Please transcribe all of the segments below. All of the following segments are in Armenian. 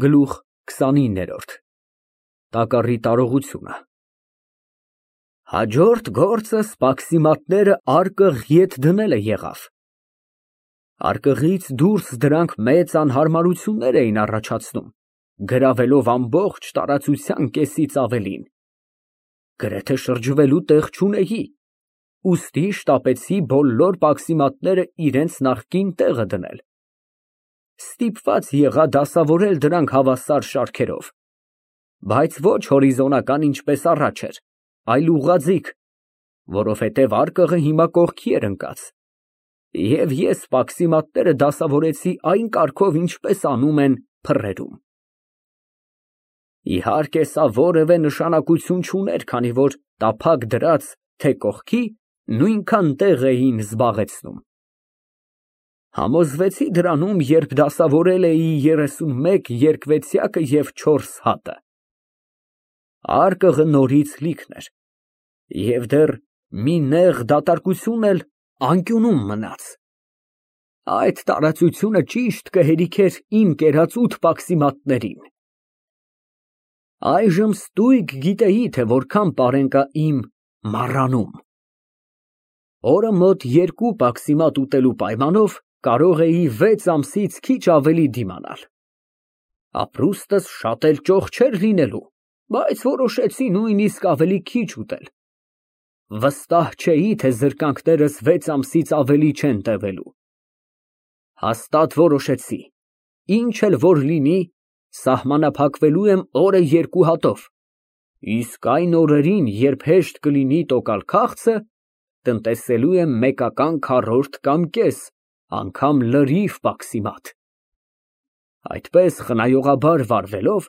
Գլուխ 29 Տակառի տարողությունը Հաջորդ գործը սպաքսիմատները արկղ ետ դնելը եղավ։ Արկղից դուրս դրանք մեծ անհարմարություններ էին առաջացնում, գրավելով ամբողջ տարածության կեսից ավելին։ Գրեթե շրջվելու տեղ չունեի, ուստի շտապեցի բոլոր պաքսիմատները իրենց նախկին տեղը դնել։ Ստիպված եղա դասավորել դրանք հավասար շարքերով, բայց ոչ հորիզոնական ինչպես առաջ էր, այլ ուղղաձիգ, որովհետև արկղը հիմա կողքի էր ընկած, և ես պաքսիմատները դասավորեցի այն կարգով, ինչպես անում են փռերում։ Իհարկե, սա որևէ նշանակություն չուներ, քանի որ տափակ դրած, թե կողքի, նույնքան տեղ էին զբաղեցնում։ Համոզվեցի դրանում, երբ դասավորել էի 31 երկվեցյակը և 4 հատը։ Արկղը նորից լիքն էր, և դեռ մի նեղ դատարկություն էլ անկյունում մնաց։ Այդ տարածությունը ճիշտ կհերիքեր իմ կերած 8 պաքսիմատներին։ Այժմ ստույգ գիտեի, թե որքան պարեն կա իմ մառանում։ Օրը մոտ 2 պաքսիմատ ուտելու պայմանով կարող էի 6 ամսից քիչ ավելի դիմանալ։ Ապրուստս շատ էլ ճոխ չէր լինելու, բայց որոշեցի նույնիսկ ավելի քիչ ուտել։ Վստահ չէի, թե զրկանքներս 6 ամսից ավելի չեն տևելու։ Հաստատ որոշեցի, ինչ էլ որ լինի, սահմանափակվելու եմ օրը 2 հատով, իսկ այն օրերին, երբ հեշտ կլինի տոկալ քաղցը, տնտեսելու եմ մեկական քառորդ կամ կես, անգամ լրիվ պաքսիմատ։ Այդպես խնայողաբար վարվելով,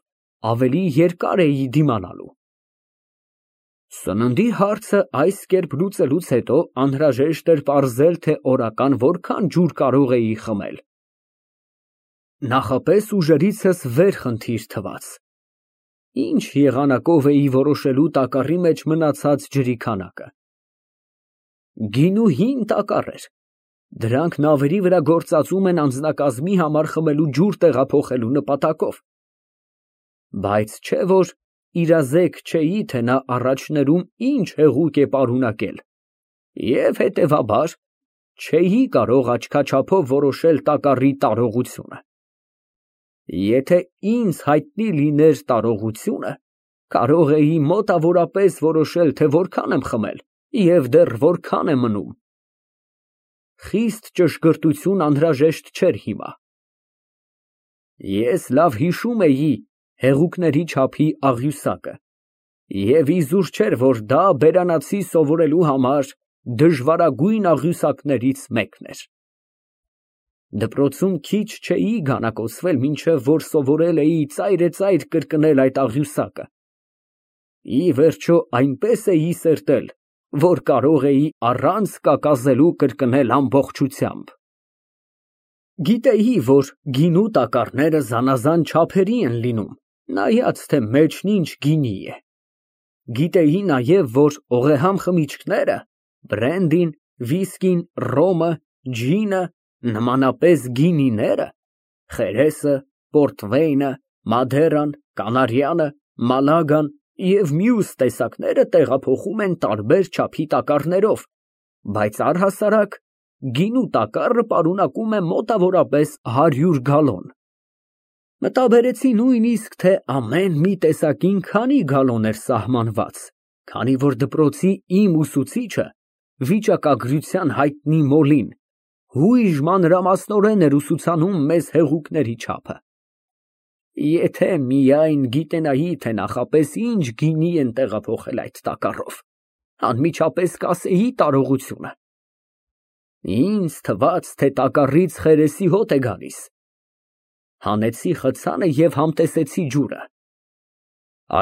ավելի երկար էի դիմանալու։ Սննդի հարցը այս կերպ լուծելուց հետո անհրաժեշտ էր պարզել, թե օրական որքան ջուր կարող էի խմել։ Նախապես ուժերիցս վեր խնդիր թվաց։ Ինչ եղանակով էի որոշելու տակառի մեջ մնացած ջրի քանակը։ Գինու հին տակառ էր, դրանք նավերի վրա գործածում են անձնակազմի համար խմելու ջուր տեղափոխելու նպատակով։ Բայց չէ որ իրազեկ չէի, թե նա առաջներում ինչ հեղուկ է պարունակել, և հետևաբար չէի կարող աչքաչափով որոշել տակառի տարողությունը։ Եթե ինձ հայտնի լիներ տարողությունը, կարող էի մոտավորապես որոշել, թե որքան եմ խմել և դեռ որքան է մնում։ Խիստ ճշգրտություն անհրաժեշտ չէր հիմա։ Ես լավ հիշում էի հեղուկների չափի աղյուսակը, և իզուր չէր, որ դա բերանացի սովորելու համար դժվարագույն աղյուսակներից մեկն էր։ Դպրոցում քիչ չէի գանակոսվել, մինչև որ սովորել էի ծայրեծայր կրկնել այդ աղյուսակը։ Ի վերջո այնպես էի սերտել, որ կարող էի առանց կակազելու կրկնել ամբողջությամբ։ Գիտեի, որ գինու տակառները զանազան չափերի են լինում, նայած թե մեջն ինչ գինի է։ Գիտեի նաև, որ օղեհամ խմիչքները, բրենդին, վիսկին, ռոմը, ջինը, նմանապես գինիները, խերեսը, պորտվեյնը, մադերան, կանարյանը, մալագան և մյուս տեսակները տեղափոխում են տարբեր չափի տակառներով, բայց առհասարակ գինու տակառը պարունակում է մոտավորապես 100 գալոն։ Մտաբերեցի նույնիսկ, թե ամեն մի տեսակին քանի գալոն էր սահմանված, քանի որ դպրոցի իմ ուսուցիչը, վիճակագրության հայտնի Մոլին, հույժ մանրամասնորեն էր ուսուցանում մեզ հեղուկների չափը։ Եթե միայն գիտենայի, թե նախապես ինչ գինի են տեղափոխել այդ տակառով, անմիջապես կասեի տարողությունը։ Ինձ թվաց, թե տակառից խերեսի հոտ է գալիս։ Հանեցի խցանը և համտեսեցի ջուրը։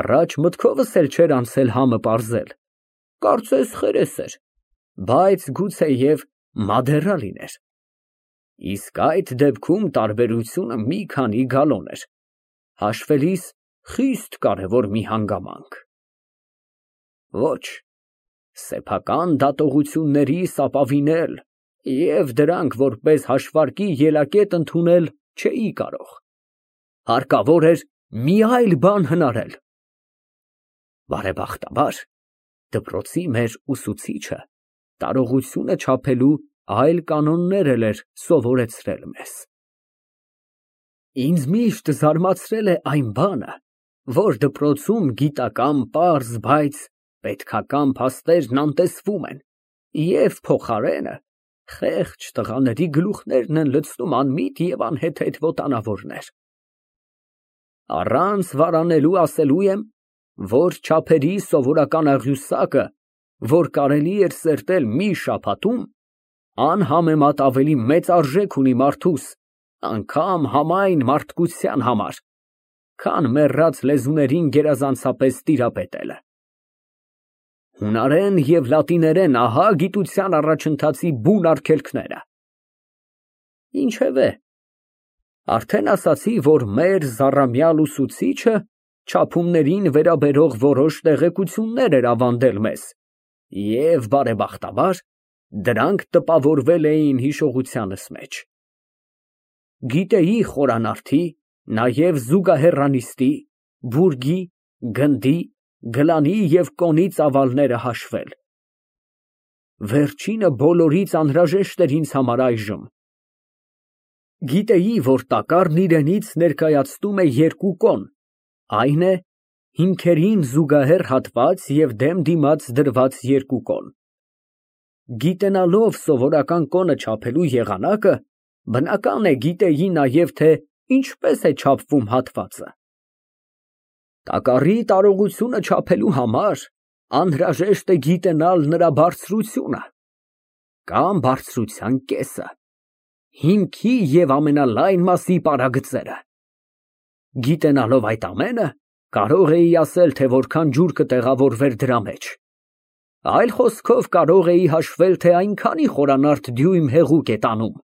Առաջ մտքովս էլ չէր անցել համը պարզել, կարծես խերես էր, բայց գուցեև մադերա լիներ։ Իսկ այդ դեպքում տարբերությունը մի քանի գալոն էր, հաշվելիս խիստ կարևոր մի հանգամանք։ Ոչ, սեփական դատողություններիս ապավինել և դրանք որպես հաշվարկի ելակետ ընդունել չէի կարող։ Հարկավոր էր մի այլ բան հնարել։ Բարեբախտաբար, դպրոցի մեր ուսուցիչը տարողությունը չափելու այլ կանոններ էր սովորեցրել մեզ։ Ինձ միշտ զարմացրել է այն բանը, որ դպրոցում գիտական պարզ, բայց պետքական փաստերն անտեսվում են, և փոխարենը խեղճ տղաների գլուխներն են լցնում անմիտ և անհեթեթ վոտանավորներ։ Առանց վարանելու ասելու եմ, որ չափերի սովորական աղյուսակը, որ կարելի էր սերտել մի շաբաթում, անհամեմատ ավելի մեծ արժեք ունի մարդուս, անգամ համայն մարդկության համար, քան մեռած լեզուներին գերազանցապես տիրապետելը։ Հունարեն և լատիներեն, ահա գիտության առաջընթացի բուն արգելքները։ Ինչևէ, արդեն ասացի, որ մեր զառամյալ ուսուցիչը չափումներին վերաբերող որոշ տեղեկություններ էր ավանդել մեզ, և բարեբախտաբար, դրանք տպավորվել էին հիշողությանս մեջ։ Գիտեի խորանարդի, նաև զուգահեռանիստի, բուրգի, գնդի, գլանի և կոնի ծավալները հաշվել։ Վերջինը բոլորից անհրաժեշտ էր ինձ համար այժմ։ Գիտեի, որ տակառն իրենից ներկայացնում է երկու կոն, այն է, հիմքերին զուգահեռ հատված և դեմ դիմաց դրված երկու կոն։ Գիտենալով սովորական կոնը չափելու եղանակը, բնական է գիտեի նաև, թե ինչպես է չափվում հատվածը։ Տակառի տարողությունը չափելու համար անհրաժեշտ է գիտենալ նրա բարձրությունը կամ բարձրության կեսը, հիմքի և ամենալայն մասի պարագծերը։ Գիտենալով այդ ամենը, կարող էի ասել, թե որքան ջուր կտեղավորվեր դրա մեջ։ Այլ խոսքով, կարող էի հաշվել, թե այնքանի խորանարդ դյույմ հեղուկ է տանում։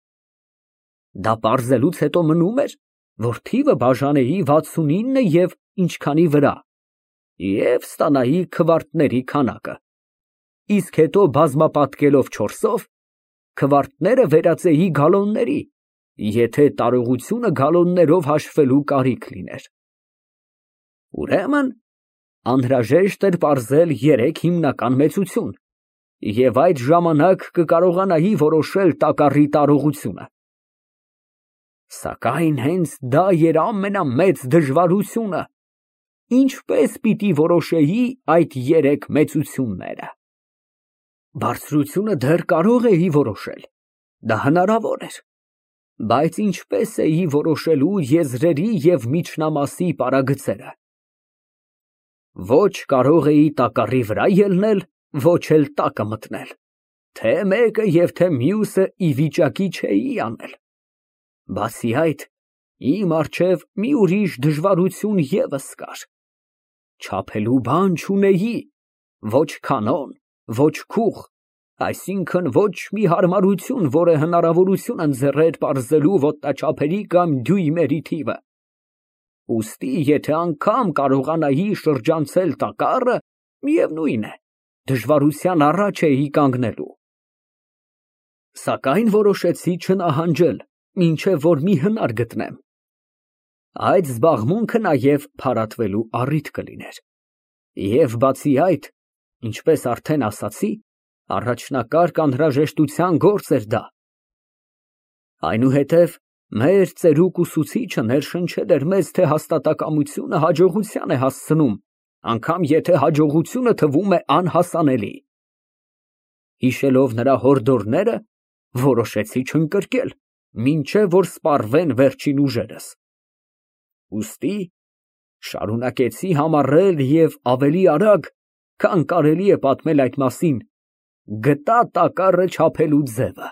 Դա պարզելուց հետո մնում էր, որ թիվը բաժանեի 69 և ինչքանի վրա և ստանայի քվարտների քանակը, իսկ հետո բազմապատկելով 4-ով, քվարտները վերածեի գալոնների, եթե տարողությունը գալոններով հաշվելու կարիք լիներ։ Ուրեմն, անհրաժեշտ էր պարզել 3 հիմնական մեծություն, և այդ ժամանակ կկարողանայի որոշել տակառի տարողությունը։ Սակայն հենց դա էր ամենամեծ դժվարությունը, ինչպես պիտի որոշեի այդ 3 մեծությունները։ Բարձրությունը դեռ կարող էի որոշել, դա հնարավոր էր, բայց ինչպես էի որոշելու եզրերի և միջնամասի պարագծերը։ Ոչ կարող էի տակառի վրա ելնել, ոչ էլ տակը մտնել, թե մեկը և թե մյուսը ի վիճակի չէի անել։ Բացի այդ, իմ առջև մի ուրիշ դժվարություն ևս կար. չափելու բան չունեի, ոչ կանոն, ոչ քուղ, այսինքն ոչ մի հարմարություն, որը հնարավորություն ընձեռեր պարզելու ոտնաչափերի կամ դյույմերի թիվը։ Ուստի, եթե անգամ կարողանայի շրջանցել տակառը, միևնույն է, դժվարության առաջ էի կանգնելու։ Սակայն որոշեցի չնահանջել, մինչև որ մի հնար գտնեմ։ Այդ զբաղմունքը նաև փարատվելու առիթ կլիներ։ Եվ բացի այդ, ինչպես արդեն ասացի, առաջնակարգ անհրաժեշտության գործ էր դա։ Այնուհետև մեր ծերուկ ուսուցիչը ներշնչել էր մեզ, թե հաստատակամությունը հաջողության է հասցնում, անգամ եթե հաջողությունը թվում է անհասանելի։ Հիշելով նրա հորդորները, որոշեցի չընկրկել, մինչև որ սպառվեն վերջին ուժերս։ Ուստի շարունակեցի համառել և ավելի արագ, քան կարելի է պատմել այդ մասին, գտա տակառը չափելու ձևը։